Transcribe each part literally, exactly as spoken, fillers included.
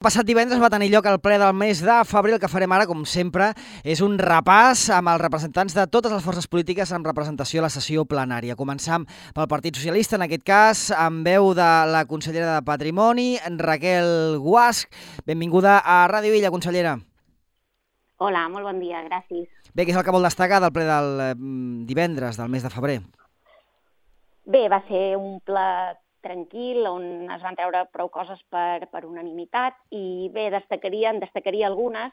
Passat divendres va tenir lloc el ple del mes de febrer. El que farem ara, com sempre, és un repàs amb els representants de totes les forces polítiques amb representació a la sessió plenària. Començam pel Partit Socialista, en aquest cas, amb veu de la consellera de Patrimoni, Raquel Guasch. Benvinguda a Ràdio Illa, consellera. Hola, molt bon dia, gràcies. Bé, què és el que vol destacar del ple del eh, divendres, del mes de febrer? Bé, va ser un ple tranquil, on es van treure prou coses per, per unanimitat i bé, destacaria, en destacaria algunes,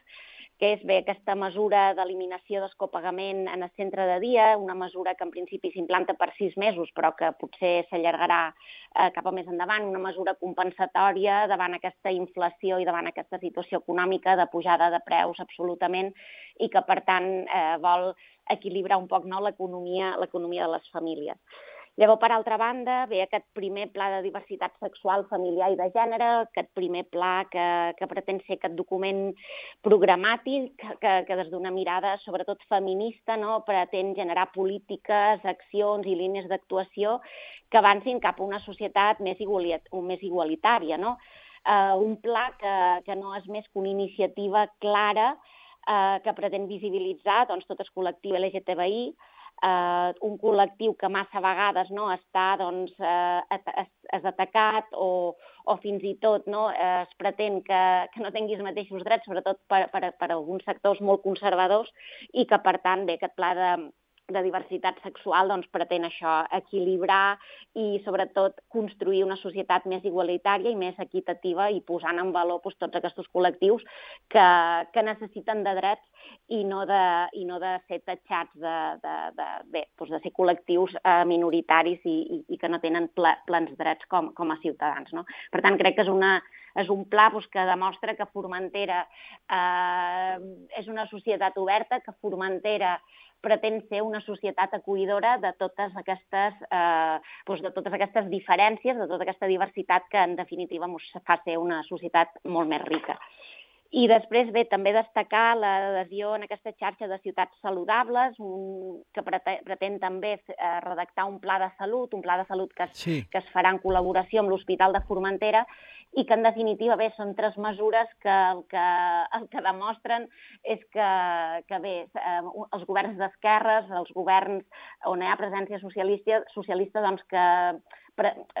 que és bé aquesta mesura d'eliminació del copagament en el centre de dia, una mesura que en principi s'implanta per sis mesos, però que potser s'allargarà eh, cap a més endavant, una mesura compensatòria davant aquesta inflació i davant aquesta situació econòmica de pujada de preus absolutament i que, per tant, eh, vol equilibrar un poc no, l'economia l'economia de les famílies. Llavors, per altra banda, ve aquest primer pla de diversitat sexual, familiar i de gènere, aquest primer pla que, que pretén ser aquest document programàtic, que, que des d'una mirada sobretot feminista no, pretén generar polítiques, accions i línies d'actuació que avancin cap a una societat més, igualit més igualitària. No? Uh, un pla que, que no és més que una iniciativa clara uh, que pretén visibilitzar doncs, tot el col·lectiu L G T B I, Uh, un col·lectiu que massa vegades no, està doncs, uh, és, és atacat o, o fins i tot no, uh, es pretén que, que no tingui els mateixos drets, sobretot per, per, per alguns sectors molt conservadors i que, per tant, bé, aquest pla de, de diversitat sexual doncs, pretén això, equilibrar i, sobretot, construir una societat més igualitària i més equitativa i posant en valor doncs, tots aquests col·lectius que, que necessiten de drets i no de, i no de ser tatxats de, de, de, bé, doncs de ser col·lectius eh, minoritaris i, i, i que no tenen ple, plens drets com, com a ciutadans. No? Per tant, crec que és, una, és un pla doncs, que demostra que Formentera eh, és una societat oberta, que Formentera pretén ser una societat acollidora de totes aquestes, eh, doncs de totes aquestes diferències, de tota aquesta diversitat que, en definitiva, ens fa ser una societat molt més rica. I després, bé, també destacar l'adhesió en aquesta xarxa de ciutats saludables, un, que pretén també eh, redactar un pla de salut, un pla de salut que es, sí. que es farà en col·laboració amb l'Hospital de Formentera i que, en definitiva, bé, són tres mesures que el que, el que demostren és que, que bé, eh, els governs d'esquerres, els governs on hi ha presència socialista, socialista doncs que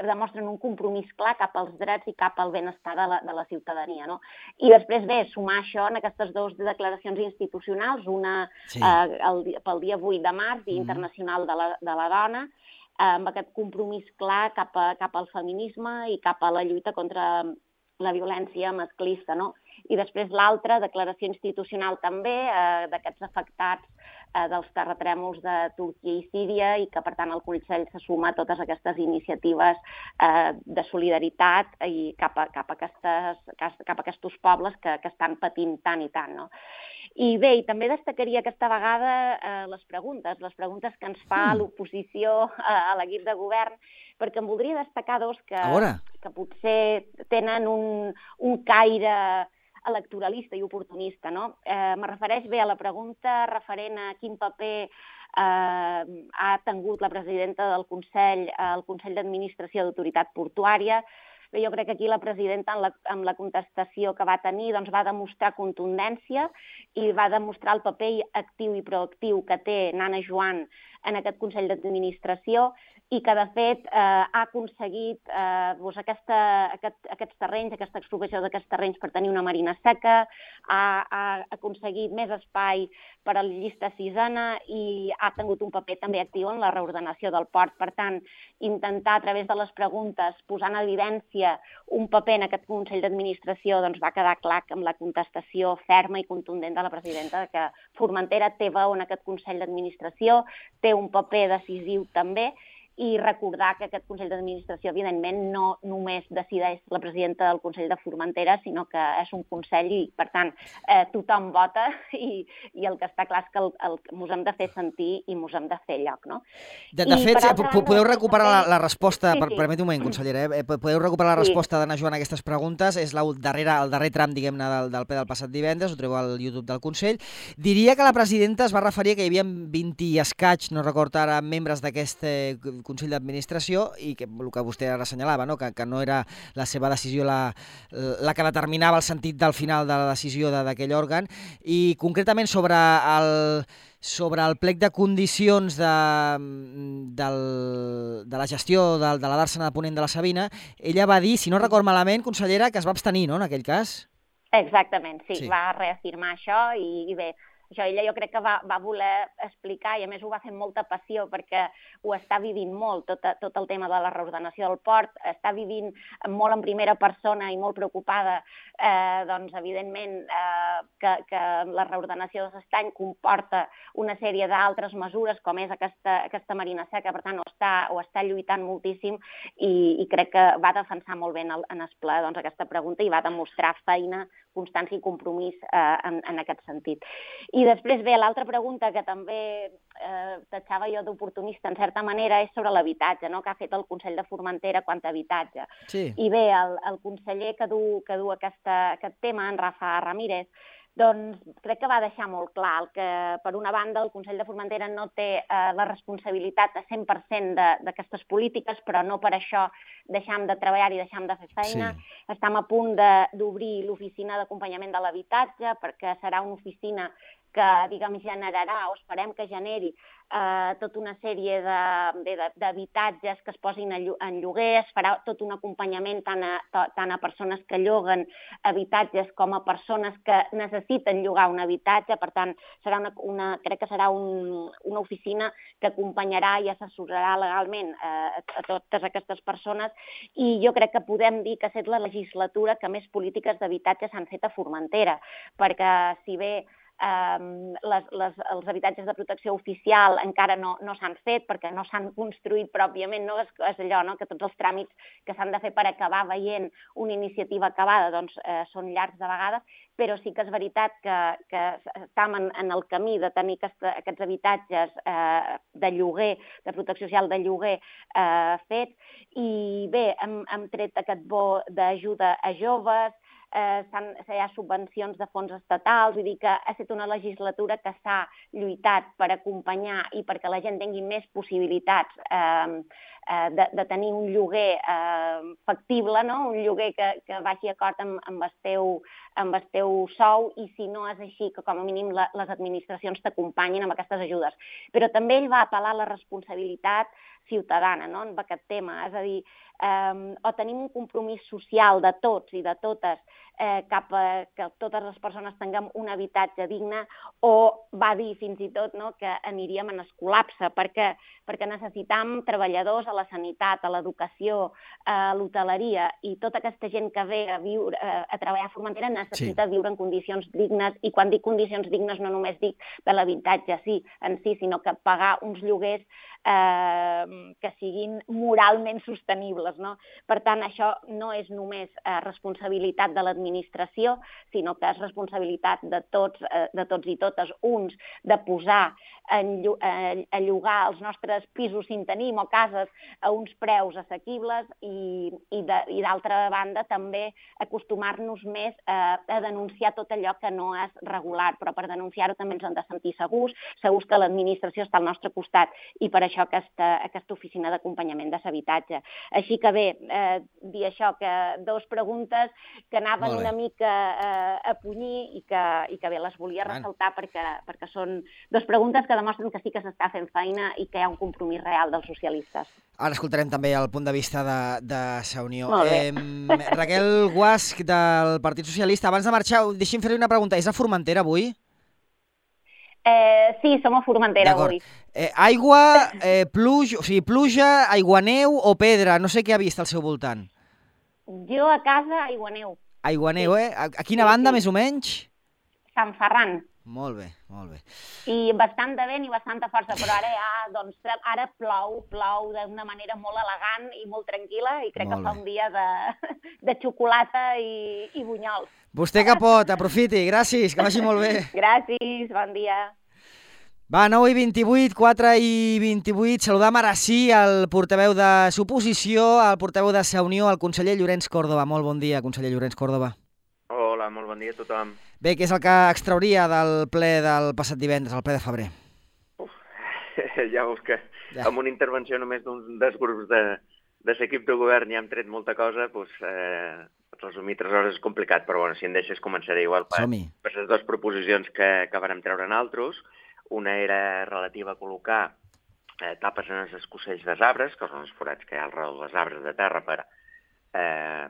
demostren un compromís clar cap als drets i cap al benestar de la, de la ciutadania. No? I després, bé, sumar això en aquestes dues declaracions institucionals, una sí. eh, el, pel dia vuit de març, Dia mm. Internacional de la, de la Dona, eh, amb aquest compromís clar cap, a, cap al feminisme i cap a la lluita contra la violència masclista. No? I després l'altra declaració institucional també eh, d'aquests afectats eh, dels terratrèmols de Turquia i Síria i que, per tant, el Consell se suma a totes aquestes iniciatives eh, de solidaritat i cap a, cap a, aquestes, cap a aquests pobles que, que estan patint tant i tant. No? I bé, i també destacaria aquesta vegada eh, les preguntes, les preguntes que ens fa mm. l'oposició a, a l'equip de govern, perquè em voldria destacar dos que, que potser tenen un, un caire electoralista i oportunista. No? Eh, me refereix bé a la pregunta referent a quin paper eh, ha tingut la presidenta del Consell, el Consell d'Administració d'Autoritat Portuària. Bé, jo crec que aquí la presidenta, amb la, amb la contestació que va tenir, doncs va demostrar contundència i va demostrar el paper actiu i proactiu que té Nana Joan en aquest Consell d'Administració i que, de fet, eh, ha aconseguit eh, doncs aquesta, aquest, aquests terrenys, aquesta expropiació d'aquests terrenys per tenir una marina seca, ha, ha aconseguit més espai per a la llista sisena i ha tingut un paper també actiu en la reordenació del port. Per tant, intentar, a través de les preguntes, posar en evidència un paper en aquest Consell d'Administració, doncs va quedar clar amb la contestació ferma i contundent de la presidenta de que Formentera té veu en aquest Consell d'Administració, té un paper decisiu també, i recordar que aquest Consell d'Administració, evidentment, no només decideix la presidenta del Consell de Formentera, sinó que és un Consell i, per tant, eh, tothom vota i, i el que està clar és que el, el, ens hem de fer sentir i ens hem de fer lloc. No? De, de fet, altra, podeu recuperar la, la resposta, sí, sí. Per, permeti un moment, consellera, eh? podeu recuperar la resposta sí. d'Anna Joan a aquestes preguntes, és la darrera, el darrer tram, diguem-ne, del, del ple del passat divendres, ho trobeu al YouTube del Consell. Diria que la presidenta es va referir que hi havia vint i escaig, no recordo ara, membres d'aquest Consell d'Administració i que el que vostè ara assenyalava, no? Que, que no era la seva decisió la, la que determinava el sentit del final de la decisió d'aquell òrgan, i concretament sobre el, sobre el plec de condicions de, del, de la gestió de, de la dàrsena de Ponent de la Sabina, ella va dir, si no record malament, consellera, que es va abstenir, no?, en aquell cas. Exactament, sí, sí. va reafirmar això i, i bé, això ella jo crec que va, va voler explicar i a més ho va fer amb molta passió perquè ho està vivint molt, tot, tot el tema de la reordenació del port, està vivint molt en primera persona i molt preocupada, eh, doncs evidentment eh, que, que la reordenació de l'estany comporta una sèrie d'altres mesures com és aquesta, aquesta marina seca, per tant ho està, ho està lluitant moltíssim i, i crec que va defensar molt bé en, el, en el ple doncs, aquesta pregunta i va demostrar feina, constància i compromís eh, en, en aquest sentit. I després, bé, l'altra pregunta que també eh, tatxava jo d'oportunista, en certa manera, és sobre l'habitatge, no?, que ha fet el Consell de Formentera quant a habitatge. Sí. I bé, el, el conseller que du, que du aquesta, aquest tema, en Rafa Ramírez, doncs crec que va deixar molt clar que, per una banda, el Consell de Formentera no té eh, la responsabilitat a cent per cent d'aquestes polítiques, però no per això deixam de treballar i deixam de fer feina. Sí. Estem a punt d'obrir l'oficina d'acompanyament de l'habitatge, perquè serà una oficina que, diguem, generarà, o esperem que generi, eh, tota una sèrie d'habitatges que es posin en lloguer, es farà tot un acompanyament tant a, tant a persones que lloguen habitatges com a persones que necessiten llogar un habitatge, per tant, serà una, una, crec que serà un, una oficina que acompanyarà i assessorarà legalment eh, a totes aquestes persones, i jo crec que podem dir que ha estat la legislatura que més polítiques d'habitatge s'han fet a Formentera, perquè si bé Um, les, les, els habitatges de protecció oficial encara no, no s'han fet perquè no s'han construït pròpiament, no? És, és allò, no?, que tots els tràmits que s'han de fer per acabar veient una iniciativa acabada doncs, eh, són llargs de vegades, però sí que és veritat que, que estem en, en el camí de tenir aquesta, aquests habitatges eh, de lloguer, de protecció social de lloguer eh, fets, i bé, hem, hem tret aquest bo d'ajuda a joves, Eh, hi ha subvencions de fons estatals, vull dir que ha estat una legislatura que s'ha lluitat per acompanyar i perquè la gent tingui més possibilitats eh, eh, de, de tenir un lloguer eh, factible, no?, un lloguer que, que vagi d'acord amb, amb, el teu, amb el teu sou, i si no és així, que com a mínim la, les administracions t'acompanyin amb aquestes ajudes. Però també ell va apel·lar a la responsabilitat ciutadana, no?, en aquest tema, és a dir, eh, o tenim un compromís social de tots i de totes eh, cap a que totes les persones tinguem un habitatge digne, o va dir fins i tot, no?, que aniríem en el col·lapse, perquè, perquè necessitam treballadors a la sanitat, a l'educació, a l'hoteleria, i tota aquesta gent que ve a, viure, a treballar a Formentera necessita sí. viure en condicions dignes, i quan dic condicions dignes no només dic de l'habitatge sí, en si, sinó que pagar uns lloguers eh, que siguin moralment sostenibles, no? Per tant, això no és només eh, responsabilitat de l'administració, sinó que és responsabilitat de tots, eh, de tots i totes, uns, de posar en, eh, a llogar els nostres pisos si en tenim o cases a uns preus assequibles, i, i d'altra banda també acostumar-nos més a, a denunciar tot allò que no és regular, però per denunciar-ho també ens hem de sentir segurs, segurs que l'administració està al nostre costat, i per això aquesta, aquesta oficina d'acompanyament de l'habitatge. Així que bé, eh, dir això, que dos preguntes que anaven una mica eh, a punyir i que, i que bé, les volia ressaltar perquè, perquè són dos preguntes que demostren que sí que s'està fent feina i que hi ha un compromís real dels socialistes. Ara escoltarem també el punt de vista de, de Sa Unió. Eh, Raquel Guasch, del Partit Socialista. Abans de marxar, deixi'm fer-li una pregunta. És a Formentera avui? Eh, sí, som a Formentera avui. Eh, aigua, eh, pluja, o sigui, pluja, aiguaneu o pedra? No sé què ha vist al seu voltant. Jo a casa, aiguaneu. Aiguaneu, sí. eh? A, a quina sí, banda, sí. més o menys? Sant Ferran. Molt bé, molt bé. I bastant de vent i bastanta força, però ara ja, doncs, ara plou, plou d'una manera molt elegant i molt tranquil·la, i crec molt que fa bé. Un dia de, de xocolata i, i bunyols. Vostè que pot, aprofiti, gràcies, que vagi molt bé. Gràcies, bon dia. Va, nou i vint-i-vuit, quatre i vint-i-vuit, saludam ara sí el portaveu de l'oposició, el portaveu de Sa Unió, el conseller Llorenç Córdoba. Molt bon dia, conseller Llorenç Córdoba. Hola, molt bon dia a tothom. Bé, què és el que extrauria del ple del passat divendres, el ple de febrer? Uf, ja veus que Ja. amb una intervenció només d'un dels grups de, de l'equip de govern ja hem tret molta cosa, doncs, eh, resumir tres hores és complicat, però bueno, si em deixes començaré igual per, Som-hi. per les dues proposicions que, que vàrem treure nosaltres. Una era relativa a col·locar eh, tapes en els escossells dels arbres, que són els forats que hi ha al redor dels arbres de terra per, eh,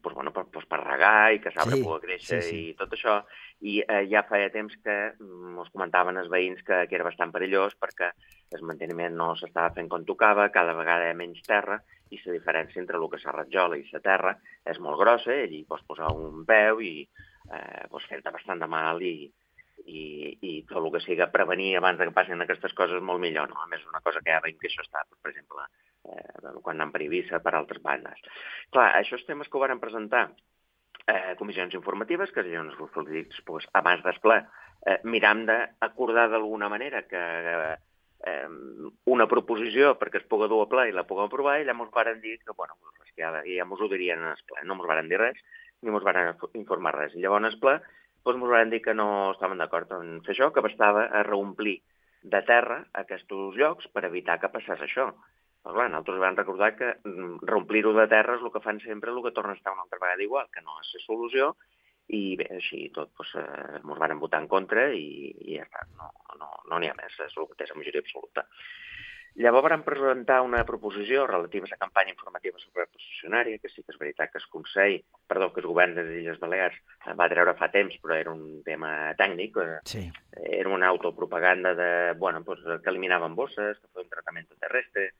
doncs, bueno, per, doncs, per regar i que l'arbre Sí, pugui créixer sí, sí. i tot això. I eh, ja feia temps que ens comentaven els veïns que, que era bastant perillós perquè el manteniment no s'estava fent com tocava, cada vegada hi ha menys terra i la diferència entre el que és la ratjola i la terra és molt grossa, i allí pots posar un peu i eh, pots fer-te bastant de mal i, i, i tot el que siga prevenir abans que passin aquestes coses molt millor, no? A més, una cosa que ja veiem que això està, per exemple, eh, quan anem per Eivissa, per altres bandes. Clar, això és temes que ho varen presentar eh, comissions informatives, que serien els grups polítics pues, abans del ple, eh, miram d'acordar d'alguna manera que eh, una proposició perquè es pugui dur a ple i la puguem aprovar, i llavors varen dir que, bueno, que ja, ja mos ho dirien en el ple, no mos varen dir res, ni mos varen informar res. I llavors en el ple doncs mos varen dir que no estaven d'acord en fer això, que bastava a reomplir de terra aquests llocs per evitar que passés això. Però clar, nosaltres vam recordar que reomplir-ho de terra és el que fan sempre, el que torna a estar una altra vegada igual, que no és la solució, i bé, així tot, doncs, eh, ens van votar en contra i, i ja està, no n'hi no, no ha més, és el que té la majoria absoluta. Llavors vam presentar una proposició relativa a la campanya informativa sobre posicionària, que sí que és veritat que el Consell, perdó, que el govern de les Illes Balears va treure fa temps, però era un tema tècnic, Sí. era una autopropaganda de, bueno, pues, que eliminaven bosses, que feien un tractament terrestre,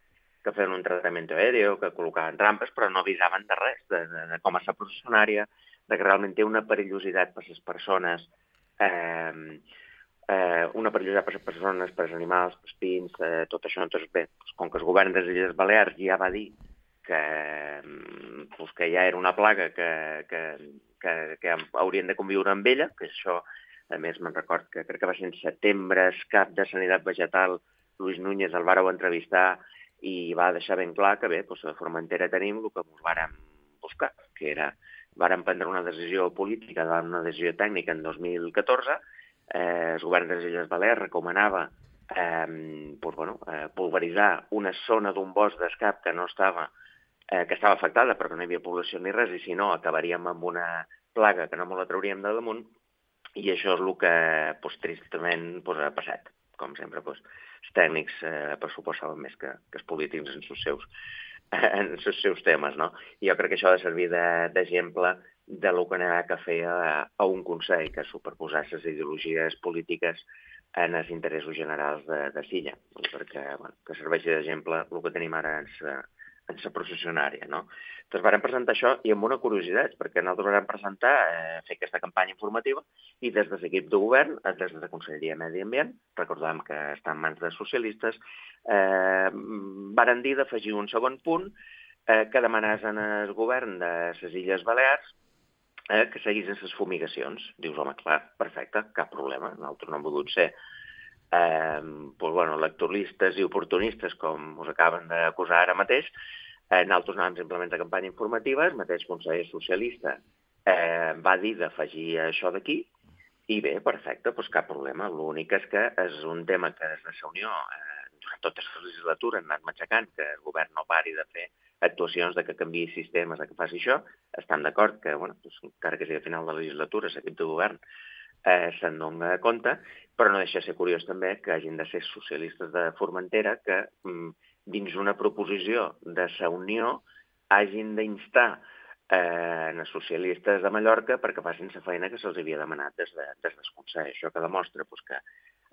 que feien un tractament aèrio, que col·locaven trampes, però no avisaven de res, de, de, de com és la processionària, de que realment té una perillositat per les persones, eh, eh, una perillositat per les persones, per als animals, per als pins, eh, tot això. Entonces, bé, doncs, com que el govern de les Illes Balears ja va dir que, doncs, que ja era una plaga que, que, que, que haurien de conviure amb ella, que això, a més, me'n record que crec que va ser en setembre, el cap de Sanitat Vegetal, Luis Núñez, el vàreu entrevistar i va deixar ben clar que bé, doncs a Formentera tenim el que ens vàrem buscar, que era, vàrem prendre una decisió política, una decisió tècnica en dos mil catorze, eh, el govern de les Illes Balears recomanava eh, doncs, bueno, eh, pulveritzar una zona d'un bosc d'escap que no estava, eh, que estava afectada perquè no hi havia població ni res, i si no acabaríem amb una plaga que no me la trauríem de damunt, i això és el que doncs, tristament doncs, ha passat. Com sempre, doncs, els tècnics eh, per suposar saben més que, que els polítics en els seus, en els seus temes, no? I jo crec que això ha de servir d'exemple de, de lo que n'ha que fer a, a un Consell, que superposar les ideologies polítiques en els interessos generals de, de Silla, perquè bueno, que serveixi d'exemple el que tenim ara en la, en la processionària, no? Doncs vàrem presentar això i amb una curiositat, perquè nosaltres vàrem presentar, eh, fer aquesta campanya informativa, i des de l'equip de govern, des de la Conselleria de Medi Ambient, recordàvem que està en mans de socialistes, eh, varen dir d'afegir un segon punt eh, que demanés al govern de les Illes Balears eh, que seguissin les fumigacions. Dius, home, clar, perfecte, cap problema, nosaltres no hem volgut ser eh, doncs, bueno, electoralistes i oportunistes, com us acaben d'acusar ara mateix. Eh, nosaltres anàvem simplement a campanya informativa, el mateix conseller socialista eh, va dir d'afegir això d'aquí, i bé, perfecte, doncs cap problema. L'únic és que és un tema que des de la Unió eh, durant tota la legislatura han anat matxacant, que el govern no pari de fer actuacions, de que canviï sistemes, de que faci això. Estan d'acord que, bueno, doncs, encara que sigui a final de la legislatura, l'equip de govern eh, se'n dona compte, però no deixa de ser curiós també que hagin de ser socialistes de Formentera que mm, dins una proposició de la Unió hagin d'instar eh, els socialistes de Mallorca perquè facin la feina que se'ls havia demanat des, de, des del Consell. Això que demostra pues, que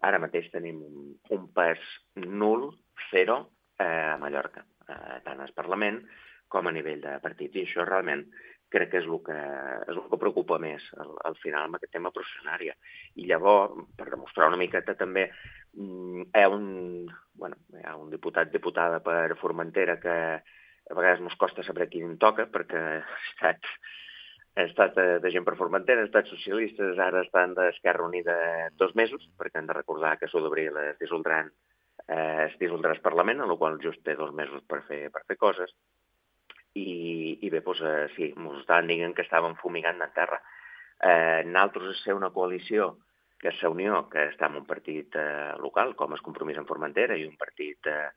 ara mateix tenim un, un pes nul, zero, eh, a Mallorca, eh, tant al Parlament com a nivell de partits. I això realment crec que és el que, és el que preocupa més al, al final amb aquest tema processionària. I llavors, per demostrar una miqueta també, hi ha un, bueno, hi ha un diputat, diputada per Formentera que a vegades ens costa saber qui en toca, perquè ha estat, ha estat de gent per Formentera, ha estat socialistes, ara estan d'Esquerra Unida dos mesos, perquè han de recordar que s'ho d'abril es dissoldran, eh, es dissoldrà el Parlament, en el qual just té dos mesos per fer, per fer coses. I, i bé, doncs, eh, sí, ens estaven dient que estàvem fumigant en terra. Eh, nosaltres ser una coalició que és la Unió, que està en un partit eh, local, com és Compromís en Formentera, i un partit eh,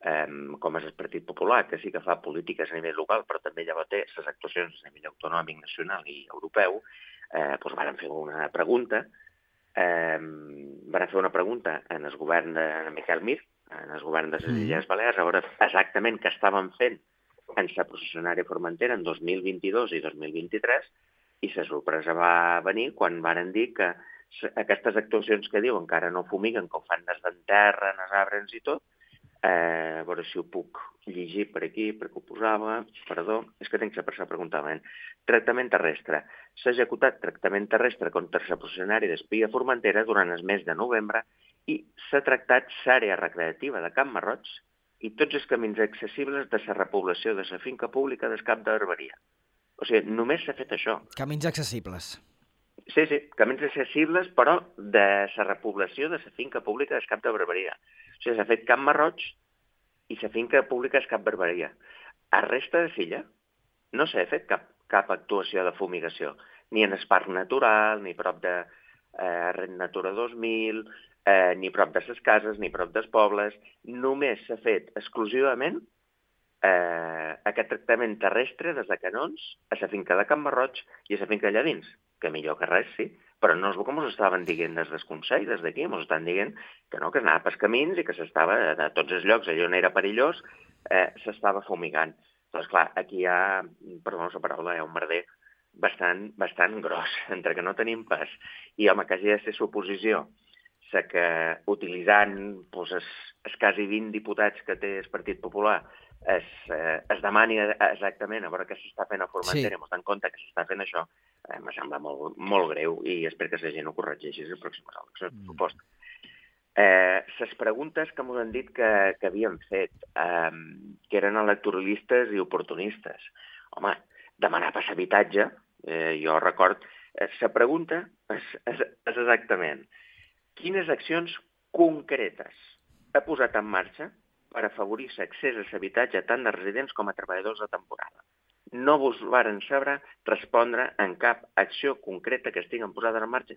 eh, com és el Partit Popular, que sí que fa polítiques a nivell local, però també llavors té les actuacions a nivell autonòmic, nacional i europeu, eh, doncs van fer una pregunta, eh, van fer una pregunta en el govern de Miquel Mir, en el govern de les Illes Balears, a veure exactament què estaven fent en la processionària Formentera en dos mil vint-i-dos i dos mil vint-i-tres, i la sorpresa va venir quan varen dir que aquestes actuacions que diuen que ara no fumiguen, que ho fan des d'enterra, en els arbres i tot, eh, a veure si ho puc llegir per aquí, perquè ho posava, perdó, és que tinc la persona preguntant. Tractament terrestre. S'ha executat tractament terrestre contra la processionària d'Espia Formentera durant el mes de novembre i s'ha tractat l'àrea recreativa de Camp Marroig i tots els camins accessibles de la repoblació de la finca pública del Cap de Barberia. O sigui, només s'ha fet això. Camins accessibles. Sí, sí, camins accessibles, però de la repoblació de la finca pública del Cap de Barberia. O sigui, s'ha fet Camp Marroig i la finca pública del Cap Barberia. A resta de l'illa no s'ha fet cap, cap actuació de fumigació, ni en el parc natural, ni prop de eh, Red Natura dos mil, eh, ni prop de les cases, ni prop dels pobles. Només s'ha fet exclusivament eh, aquest tractament terrestre des de Canons a la finca de Camp Marroig i a la finca allà dins, que millor que res, sí, però no és el que ens estaven dient des del Consell, des d'aquí, ens estan dient que no, que anava pels camins i que s'estava, a tots els llocs, allò on era perillós, eh, s'estava fumigant. Doncs clar, aquí hi ha, perdó la paraula, hi ha un merder bastant, bastant gros, entre que no tenim pas, i home, quasi ha de ser suposició, sé que utilitzant doncs, es, es quasi vint diputats que té el Partit Popular, es, eh, es demani exactament a veure què s'està fent a Formentera, sí. Ens donem compte que s'està fent això, eh, me sembla molt, molt greu i espero que la gent ho corregeixi les pròximes eleccions, per supost. Eh, les preguntes que m'ho han dit que, que havien fet, eh, que eren electoralistes i oportunistes. Home, demanar pas habitatge, eh, jo record, la eh, pregunta és, és, és exactament quines accions concretes ha posat en marxa per afavorir l'accés a l'habitatge tant de residents com a treballadors de temporada. No vos varen saber respondre en cap acció concreta que estiguen posades en marxa.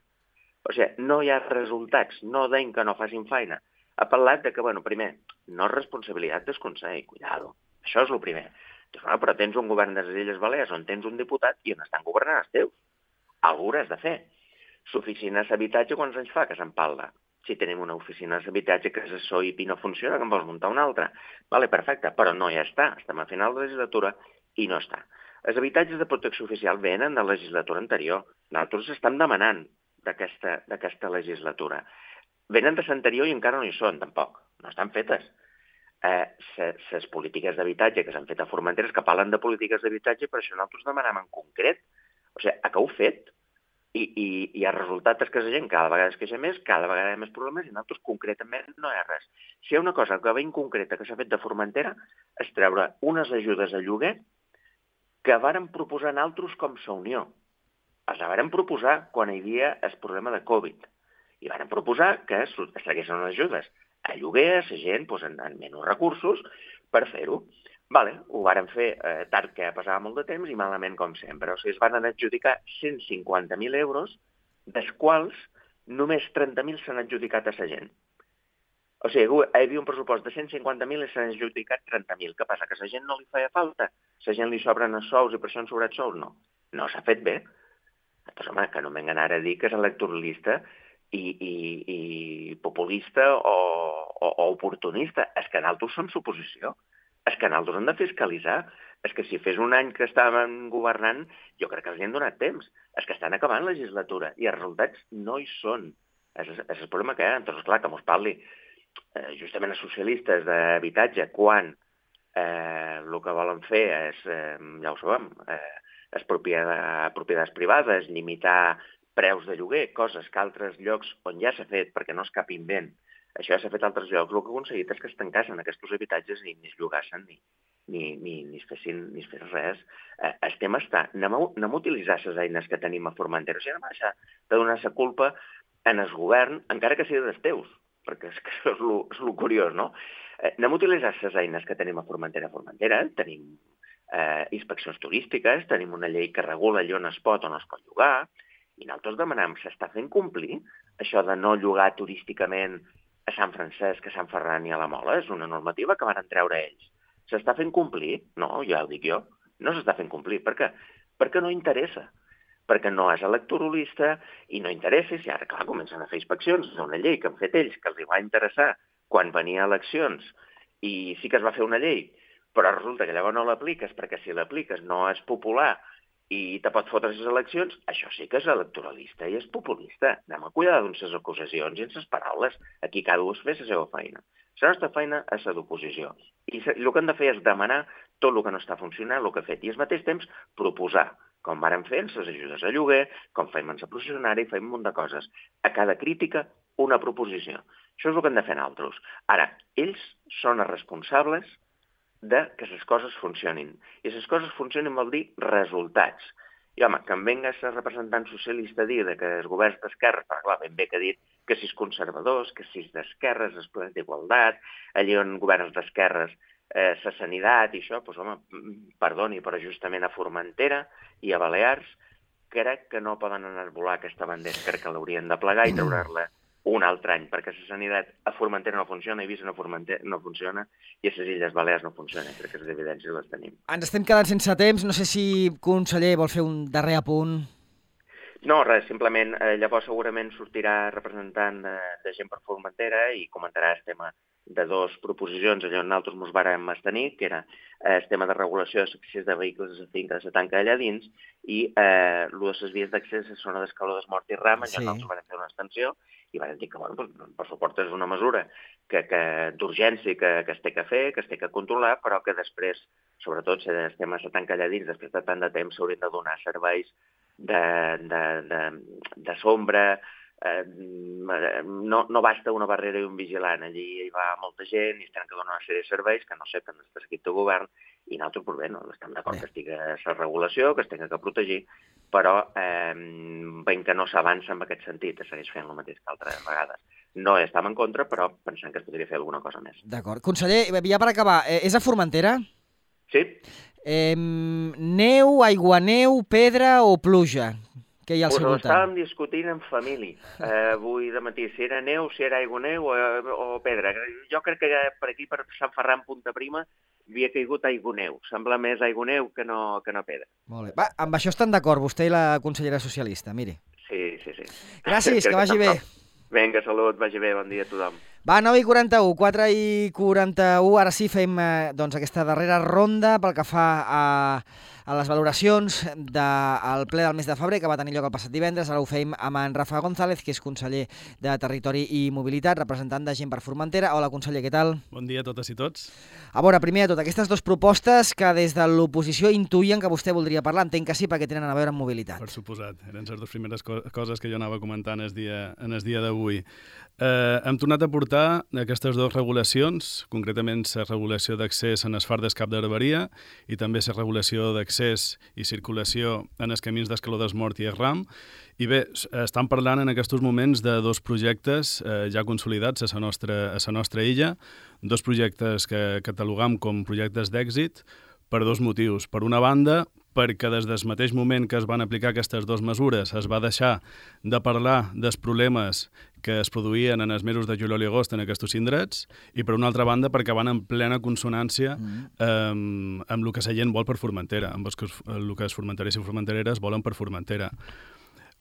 O sigui, no hi ha resultats, no deien que no facin feina. Ha parlat de que, bueno, primer, no és responsabilitat del Consell, cuidado. Això és el primer. Dius, bueno, però tens un govern de les Illes Balears on tens un diputat i on estan governant els teus. Algú ho has de fer. L'oficina d'habitatge quants anys fa que se'n parla? Si tenim una oficina d'habitatge que és el S O I P i no funciona, que en vols muntar una altra. Vale, perfecte, però no ja està. Estem a final de legislatura i no està. Els habitatges de protecció oficial venen de la legislatura anterior. Nosaltres estem demanant d'aquesta legislatura. Venen de l'anterior i encara no hi són, tampoc. No estan fetes. Les eh, polítiques d'habitatge que s'han fet a Formentera que parlen de polítiques d'habitatge, per això nosaltres demanem en concret. O sigui, a què heu fet? I, i, i el resultat és que la gent cada vegada es queixa més, cada vegada hi ha més problemes i nosaltres concretament no hi ha res. Si hi ha una cosa que ben concreta que s'ha fet de Formentera és treure unes ajudes a lloguer que varen proposar nosaltres com la Unió. Els varen proposar quan hi havia el problema de Covid. I varen proposar que es traguessin unes ajudes a lloguer, a la gent doncs, en, en menys recursos per fer-ho. Vale, ho varen fer eh, tard, que passava molt de temps, i malament com sempre. O sigui, es van adjudicar cent cinquanta mil euros, dels quals només trenta mil s'han adjudicat a la gent. O sigui, hi havia un pressupost de cent cinquanta mil i s'han adjudicat trenta mil. Què passa? Que a la gent no li feia falta? A la gent li sobren els sous i per això han sobrat sous? No. No s'ha fet bé. Doncs, home, que no m'engana ara a dir que és electoralista i, i, i populista o, o, o oportunista. És que nosaltres som suposició. És que nosaltres hem de fiscalitzar. És que si fes un any que estàvem governant, jo crec que els hi han donat temps. És que estan acabant la legislatura i els resultats no hi són. És, és el problema que hi ha. Doncs, clar, que mos parli eh, justament els socialistes d'habitatge quan eh, el que volen fer és, eh, ja ho sabem, eh, és propietats, propietats privades, limitar preus de lloguer, coses que altres llocs on ja s'ha fet perquè no és cap invent. Això ja s'ha fet a altres llocs. El que ha aconseguit és que es tancassin aquests habitatges i ni es llogassin ni, ni, ni, ni es fessin ni es fes res. Eh, el tema està, anem a, anem a utilitzar les eines que tenim a Formentera. O sigui, anem a deixar de donar la culpa en el govern, encara que sigui dels teus, perquè és que això és lo, és lo curiós, no? Eh, anem a utilitzar les eines que tenim a Formentera. A Formentera tenim eh, inspeccions turístiques, tenim una llei que regula allò on es pot o no es pot llogar, I nosaltres demanàvem, s'està fent complir això de no llogar turísticament a Sant Francesc, a Sant Ferran i a la Mola? És una normativa que van treure ells. S'està fent complir? No, ja ho dic jo. No s'està fent complir. Per què? Perquè no interessa. Perquè no és electoralista i no interessa. I ara, clar, comencen a fer inspeccions. És una llei que han fet ells, que els va interessar quan venia a eleccions. I sí que es va fer una llei, però resulta que llavors no l'apliques, perquè si l'apliques no és popular i te pot fotre les eleccions, això sí que és electoralista i és populista. Anem a cuidar amb les acusacions i amb les paraules. Aquí cada un fa la seva feina. La nostra feina és la d'oposició. I el que hem de fer és demanar tot el que no està funcionant, el que ha fet. I al mateix temps proposar, com vàrem fer amb les ajudes a lloguer, com fem amb la processionària, i fem un munt de coses. A cada crítica, una proposició. Això és el que hem de fer nosaltres. Ara, ells són els responsables de que les coses funcionin. I les coses funcionin vol dir resultats. I, home, que em venga el representant socialista a dir que els governs d'esquerres, però clar, ben bé que ha dit que si és conservadors, que si és d'esquerres, és ple d'igualtat, allà on governs d'esquerres, eh, la sanitat i això, doncs, home, perdoni, però justament a Formentera i a Balears crec que no poden anar a volar aquesta bandera, crec que l'haurien de plegar i treure-la un altre any, perquè la sanitat a Formentera no funciona, a Eivissa no, no funciona i a les Illes Balears no funciona. Crec que les evidències les tenim. Ens estem quedant sense temps. No sé si, conseller, vol fer un darrer apunt. No, res, simplement, eh, llavors segurament sortirà representant de, de gent per Formentera i comentarà el tema de dues proposicions allà on nosaltres ens vàrem abstenir, que era eh, el tema de regulació de l'accés de vehicles a la finca de la tanca allà dins i eh, el de les vies d'accés a la zona d'Escaló d'Esmort i Ram, allà sí. Nosaltres vam fer una extensió i vam dir que, bueno, pues, per suport és una mesura que, que d'urgència que, que es té que fer, que es té que controlar, però que després, sobretot si el tema de la tanca allà dins, després de tant de temps s'haurien de donar serveis de, de, de, de sombra. Eh, no, no basta una barrera i un vigilant, allí hi va molta gent i es tenen que donar una sèrie de serveis que no sé que no està escrit de govern i nosaltres, pues bé, no, estem d'acord que estigui la regulació, que es tingui que protegir, però eh, veiem que no s'avança en aquest sentit, es segueix fent el mateix que altres vegades. No estem en contra, però pensem que es podria fer alguna cosa més. D'acord. Conseller, ja per acabar, eh, és a Formentera? Sí. Eh, neu, aiguaneu, pedra o pluja? Que hi ha al seu voltant? Ho estàvem discutint en família, eh, avui de matí, si era neu, si era aiguaneu o, o pedra. Jo crec que per aquí, per Sant Ferran, Punta Prima, havia caigut aiguaneu. Sembla més aiguaneu que no, que no pedra. Molt bé. Va, amb això estan d'acord, vostè i la consellera socialista, miri. Sí, sí, sí. Gràcies, que, que vagi bé. Vinga, salut, vagi bé, bon dia a tothom. Va, nou i quaranta-u, quatre i quaranta-u, ara sí fem eh, doncs, aquesta darrera ronda pel que fa a, a les valoracions del ple del mes de febrer que va tenir lloc el passat divendres. Ara ho fem amb en Rafa González, que és conseller de Territori i Mobilitat, representant de Gent per Formentera. Hola, conseller, què tal? Bon dia a totes i tots. A veure, primer de tot, aquestes dues propostes que des de l'oposició intuïen que vostè voldria parlar, entenc que sí, perquè tenen a veure amb mobilitat. Per suposat, eren les dues primeres co coses que jo anava comentant el dia, en el dia d'avui. Eh, hem tornat a portar aquestes dues regulacions, concretament la regulació d'accés en els fardes Cap d'Herberia i també la regulació d'accés i circulació en els camins d'Escaló d'Esmort i Ram. I bé, estan parlant en aquests moments de dos projectes eh, ja consolidats a la nostra, a la nostra illa, dos projectes que catalogam com projectes d'èxit per dos motius. Per una banda, perquè des del mateix moment que es van aplicar aquestes dues mesures es va deixar de parlar dels problemes que es produïen en els mesos de juliol i agost en aquests indrets, i per una altra banda perquè van en plena consonància mm. eh, amb el que la gent vol per Formentera, amb el que, el que els formenterers i formentereres volen per Formentera.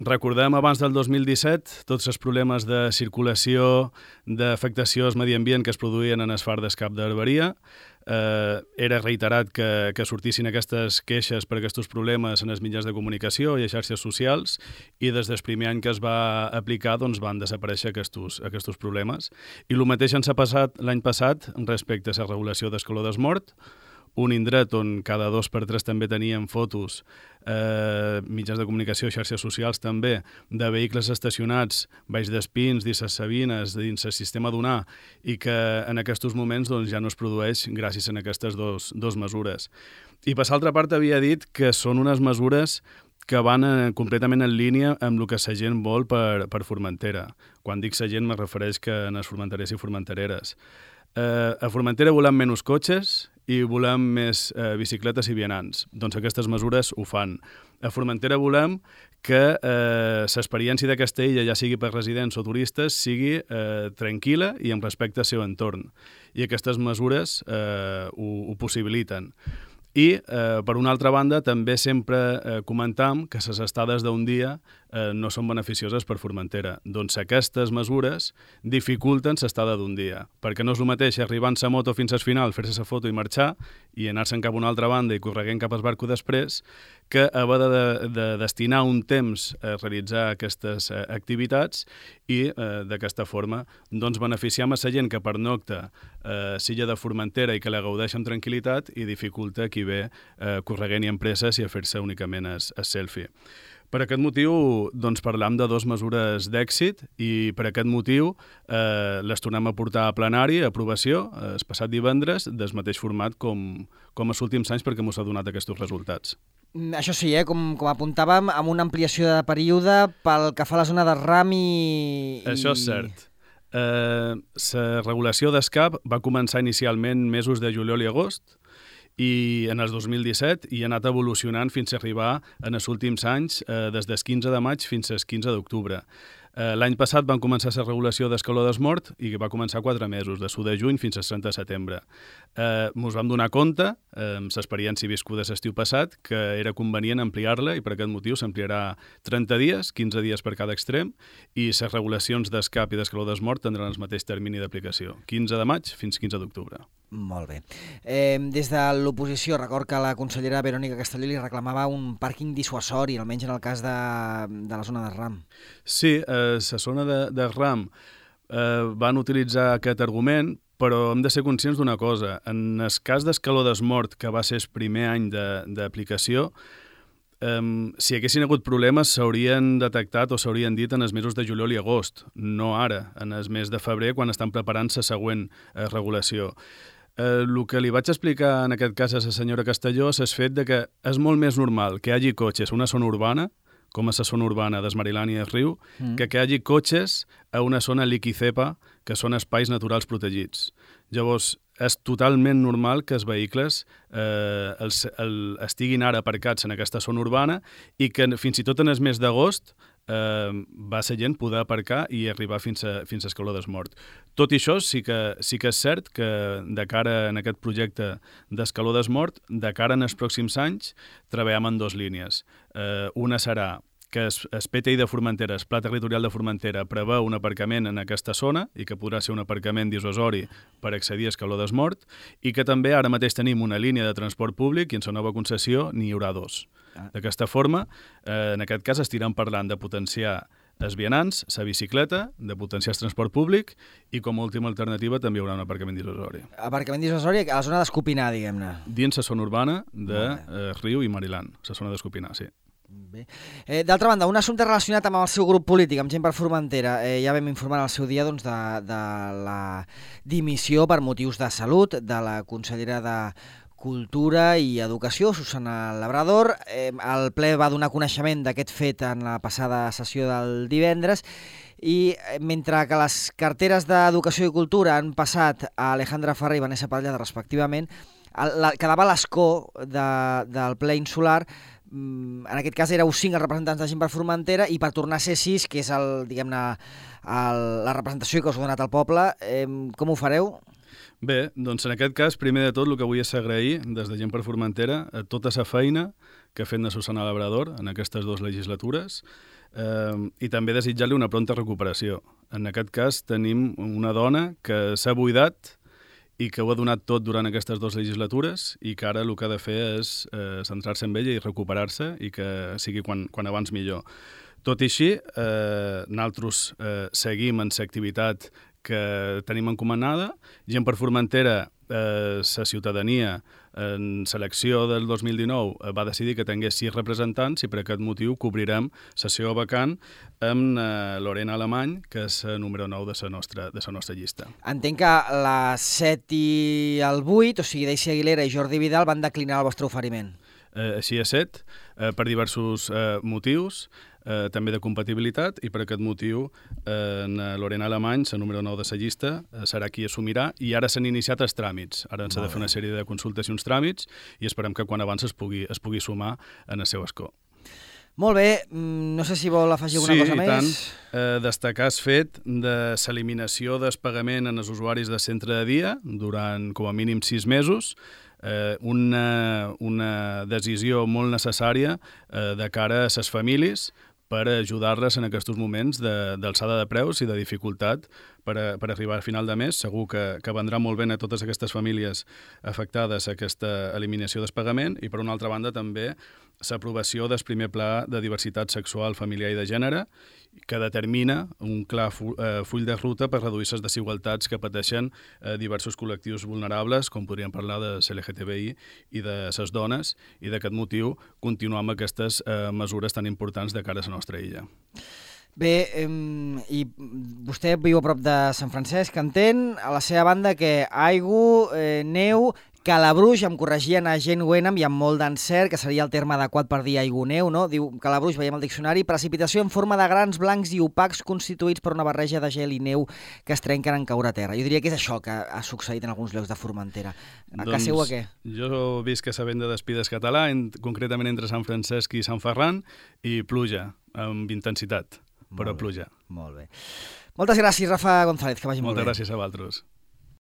Recordem abans del dos mil disset tots els problemes de circulació, d'afectació al medi ambient que es produïen en els fardes Cap d'Herberia. Eh, era reiterat que, que sortissin aquestes queixes per aquests problemes en els mitjans de comunicació i a xarxes socials, i des del primer any que es va aplicar doncs, van desaparèixer aquests, aquests problemes. I el mateix ens ha passat l'any passat respecte a la regulació d'Escaló d'Esmort, un indret on cada dos per tres també teníem fotos, eh, mitjans de comunicació, xarxes socials també, de vehicles estacionats baix d'espins, dins les Sabines, dins el sistema d'Unar, i que en aquests moments doncs, ja no es produeix gràcies a aquestes dos, dos mesures. I per l'altra part havia dit que són unes mesures que van eh, completament en línia amb el que la gent vol per, per Formentera. Quan dic la gent me refereix que en els formenterers i formentereres. Eh, a Formentera volem menys cotxes i volem més eh, bicicletes i vianants. Doncs aquestes mesures ho fan. A Formentera volem que eh, l'experiència d'aquesta illa, ja sigui per residents o turistes, sigui eh, tranquil·la i amb respecte al seu entorn. I aquestes mesures eh, ho, ho possibiliten. I, eh, per una altra banda, també sempre eh, comentam que les estades d'un dia eh, no són beneficioses per Formentera. Doncs aquestes mesures dificulten l'estada d'un dia, perquè no és el mateix arribar en sa moto fins al final, fer-se la foto i marxar, i anar-se'n cap a una altra banda i correguent cap al barco després, que haver de, de, de destinar un temps a realitzar aquestes eh, activitats i eh, d'aquesta forma doncs, beneficiem a la gent que pernocta a eh, l'illa de Formentera i que la gaudeix amb tranquil·litat i dificulta qui ve eh, correguent i empreses i a fer-se únicament el selfie. Per aquest motiu, doncs, parlam de dues mesures d'èxit i per aquest motiu eh, les tornem a portar a plenari, a aprovació, eh, el passat divendres, del mateix format com, com els últims anys perquè ens ha donat aquests resultats. Això sí, eh? com, com apuntàvem, amb una ampliació de període pel que fa a la zona de ram i... Això és cert. La eh, regulació d'escap va començar inicialment mesos de juliol i agost, i en el dos mil disset i ha anat evolucionant fins a arribar en els últims anys, eh, des del quinze de maig fins al quinze d'octubre. Eh, L'any passat van començar la regulació d'escaló d'esmort i va començar quatre mesos, de l'u de juny fins al trenta de setembre. Eh, ens vam donar compte, eh, amb l'experiència viscuda l'estiu passat, que era convenient ampliar-la i per aquest motiu s'ampliarà trenta dies, quinze dies per cada extrem, i les regulacions d'escap i d'escaló d'esmort tindran el mateix termini d'aplicació, quinze de maig fins quinze d'octubre. Molt bé. Eh, des de l'oposició, record que la consellera Verònica Castelló li reclamava un pàrquing dissuasori, almenys en el cas de, de la zona de ram. Sí, eh, la zona de, de ram eh, van utilitzar aquest argument, però hem de ser conscients d'una cosa. En el cas d'escaló d'esmort, que va ser el primer any d'aplicació, Um, si haguessin hagut problemes s'haurien detectat o s'haurien dit en els mesos de juliol i agost, no ara, en el mes de febrer, quan estan preparant la següent eh, regulació. El eh, que li vaig explicar en aquest cas a la senyora Castelló és el fet de que és molt més normal que hi hagi cotxes a una zona urbana, com és la zona urbana d'Esmarilán i el Riu, mm. que que hi hagi cotxes a una zona liquicepa, que són espais naturals protegits. Llavors, és totalment normal que els vehicles eh, els, el, estiguin ara aparcats en aquesta zona urbana i que fins i tot en el mes d'agost eh, va ser gent poder aparcar i arribar fins a, fins a escaló d'esmort. Tot i això, sí que, sí que és cert que de cara en aquest projecte d'escaló d'esmort, de cara en els pròxims anys, treballem en dues línies. Eh, una serà que el P T I de Formentera, el Pla Territorial de Formentera, preveu un aparcament en aquesta zona i que podrà ser un aparcament dissuasori per accedir a escaló d'esmort i que també ara mateix tenim una línia de transport públic i en la nova concessió n'hi haurà dos. Ah. D'aquesta forma, eh, en aquest cas estirem parlant de potenciar els vianants, la bicicleta, de potenciar el transport públic i com a última alternativa també hi haurà un aparcament dissuasori. Aparcament dissuasori a la zona d'Escopinar, diguem-ne. Dins la zona urbana de eh, Riu i Marilan, la zona d'Escopinar, sí. Bé. Eh, D'altra banda, un assumpte relacionat amb el seu grup polític, amb Gent per Formentera. Eh, ja vam informar al seu dia doncs, de, de la dimissió per motius de salut de la consellera de Cultura i Educació, Susana Labrador. Eh, el ple va donar coneixement d'aquest fet en la passada sessió del divendres i mentre que les carteres d'Educació i Cultura han passat a Alejandra Ferrer i Vanessa Pallada respectivament, la, quedava l'escó de, del ple insular. En aquest cas éreu cinc els representants de Gent per Formentera i per tornar a ser sis, que és el, diguem-ne, el, la representació que us ha donat el poble, eh, com ho fareu? Bé, doncs en aquest cas, primer de tot, el que vull és agrair des de Gent per Formentera a tota la feina que ha fet la Susana Labrador en aquestes dues legislatures eh, i també desitjar-li una pronta recuperació. En aquest cas tenim una dona que s'ha buidat i que ho ha donat tot durant aquestes dues legislatures i que ara el que ha de fer és eh, centrar-se en ella i recuperar-se i que sigui quan, quan abans millor. Tot i així, eh, nosaltres eh, seguim en l'activitat que tenim encomanada. Gent per Formentera, eh, la ciutadania en selecció del dos mil dinou va decidir que tingués sis representants i per aquest motiu cobrirem sessió vacant amb eh, Lorena Alemany, que és el número nou de la nostra, de la nostra llista. Entenc que la set i el vuit, o sigui, Daisy Aguilera i Jordi Vidal, van declinar el vostre oferiment. Eh, així és set, eh, per diversos eh, motius, eh, també de compatibilitat, i per aquest motiu eh, en Lorena Alemany, la número nou de la llista, eh, serà qui assumirà, i ara s'han iniciat els tràmits. Ara s'ha de fer una sèrie de consultes i uns tràmits, i esperem que quan abans es pugui, es pugui sumar en el seu escó. Molt bé, no sé si vol afegir alguna sí, cosa més. Sí, i tant. Eh, destacar el fet de l'eliminació del pagament en els usuaris de centre de dia durant com a mínim sis mesos, eh, una, una decisió molt necessària eh, de cara a les famílies per ajudar-les en aquests moments d'alçada de, de preus i de dificultat per, a, per arribar al final de mes. Segur que, que vendrà molt bé a totes aquestes famílies afectades aquesta eliminació del pagament i, per una altra banda, també l'aprovació del primer pla de diversitat sexual, familiar i de gènere, que determina un clar fu eh, full de ruta per reduir les desigualtats que pateixen eh, diversos col·lectius vulnerables, com podríem parlar de L G T B I i de les dones, i d'aquest motiu continuar amb aquestes eh, mesures tan importants de cara a la nostra illa. Bé, eh, i vostè viu a prop de Sant Francesc, entén, a la seva banda que aigua, eh, neu, calabruix, em corregien a Jane Wenham i amb molt d'encert, que seria el terme adequat per dir aigua neu, no? Diu calabruix, veiem al diccionari, precipitació en forma de grans blancs i opacs constituïts per una barreja de gel i neu que es trenquen en caure a terra. Jo diria que és això que ha succeït en alguns llocs de Formentera. A casa seu a què? Jo visc a la venda d'Espides català, en, concretament entre Sant Francesc i Sant Ferran, i pluja, amb intensitat, però pluja. Molt bé. Moltes gràcies, Rafa González, que vagi molt bé. Moltes gràcies a vosaltres.